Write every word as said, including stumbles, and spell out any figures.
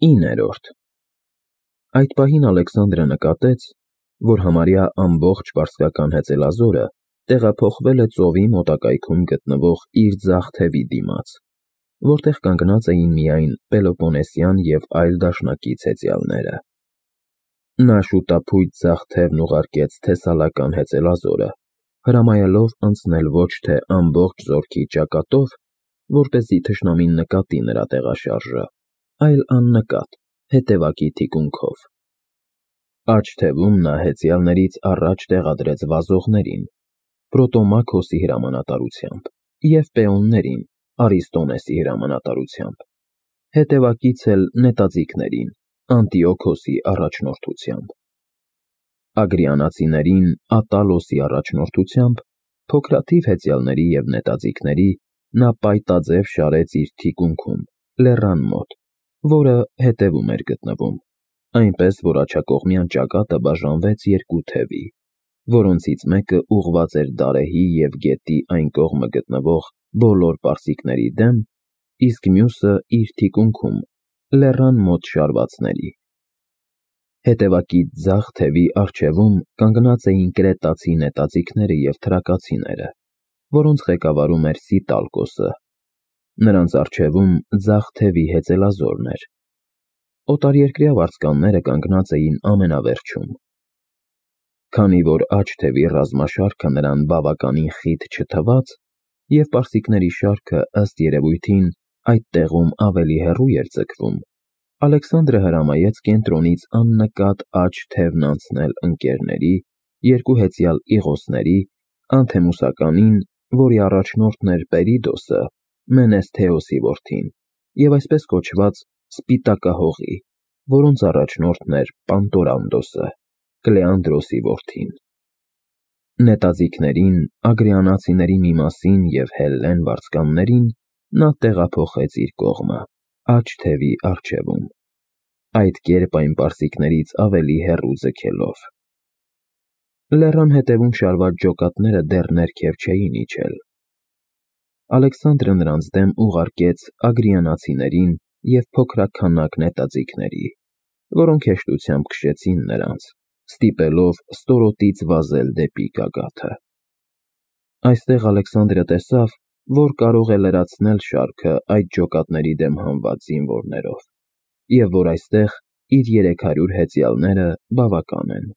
իններորդ Այդ պահին Ալեքսանդրը նկատեց, որ համարյա ամբողջ պարսկական հեծելազորը տեղափոխվել է ծովի մոտակայքում գտնվող իր ձախ թևի դիմաց, որտեղ կանգնած էին միայն Պելոպոնեսյան և այլ դաշնակից հեծյալները։ Նա շուտափույթ ձախ թևն ուղարկեց թեսալական հեծելազորը, հրամայելով անցնել ոչ թե ամբողջ զորքի ճակատով, որպեսզի թշնամին նկատի նրա տեղաշարժը, այլ աննկատ, հետևակի թիկունքով։ Աջ թևում նա հեծյալներից առաջ տեղադրեց վազողներին, Պրոտոմաքոսի հրամանատարությամբ, և պեոններին, Արիստոնեսի հրամանատարությամբ, հետևակից էլ նետաձիգներին, Անտիոքոսի առաջնորդությամբ։ Ագրիանացիներին Ատալոսի առաջնորդությամբ, փոքրաթիվ հեծյալների և նետաձիգների նա պայտաձև շարեց իր թիկունքում, լեռան մոտ, որը հետևում էր գտնվում, այնպես, որ աջակողմյան ճակատը բաժանվեց երկու թևի, որոնցից մեկը ուղղված էր Դարեհի և գետի այն կողմը գտնվող բոլոր պարսիկների դեմ, իսկ մյուսը իր թիկունքում, լեռան մոտ շարվածների։ Հետևակից ձախ թևի առջևում կանգնած էին կրետացի նետաձիգները և թրակացիները, որոնց ղեկավարում էր Սիտալկոսը, նրանց առջևում ձախ թևի հեծելազորն էր։ Օտարերկրյա վարձկանները կանգնած էին ամենավերջում։ Քանի որ աջ թևի ռազմաշարքը նրան բավականին խիտ չթվաց, և պարսիկների շարքը, ըստ երևույթին, այդ տեղում ավելի հեռու էր ձգվում, Ալեքսանդրը հրամայեց կենտրոնից աննկատ աջ թևն անցնել ընկերների, երկու հեծյալ Իղոսների, Անթեմուսականին, որի առաջնորդն էր Պերիդոսը, Մենեսթեոսի որդին, և այսպես կոչված Սպիտակահողի, որոնց առաջնորդն էր Պանտորանդոսը, Կլեանդրոսի որդին։ Նետաձիգներին, ագրիանացիների մի մասին և հելլեն վարձկաններին նա տեղափոխեց իր կողմը, աջ թևի առջևում, այդ կերպ այն պարսիկներից ավելի հեռու ձգելով։ Լեռան հետևում շարված ջոկատները դեռ ներքև չէին իջել։ Ալեքսանդրը նրանց դեմ ուղարկեց ագրիանացիներին և փոքրաքանակ նետաձիգների, որոնք հեշտությամբ քշեցին նրանց, ստիպելով ստորոտից վազել դեպի գագաթը։ Այստեղ Ալեքսանդրը տեսավ, որ կարող է լրացնել շարքը այդ ջոկատների դեմ հանված զինվորներով, և որ այստեղ իր երեք հարյուր հեծյալները բավական են։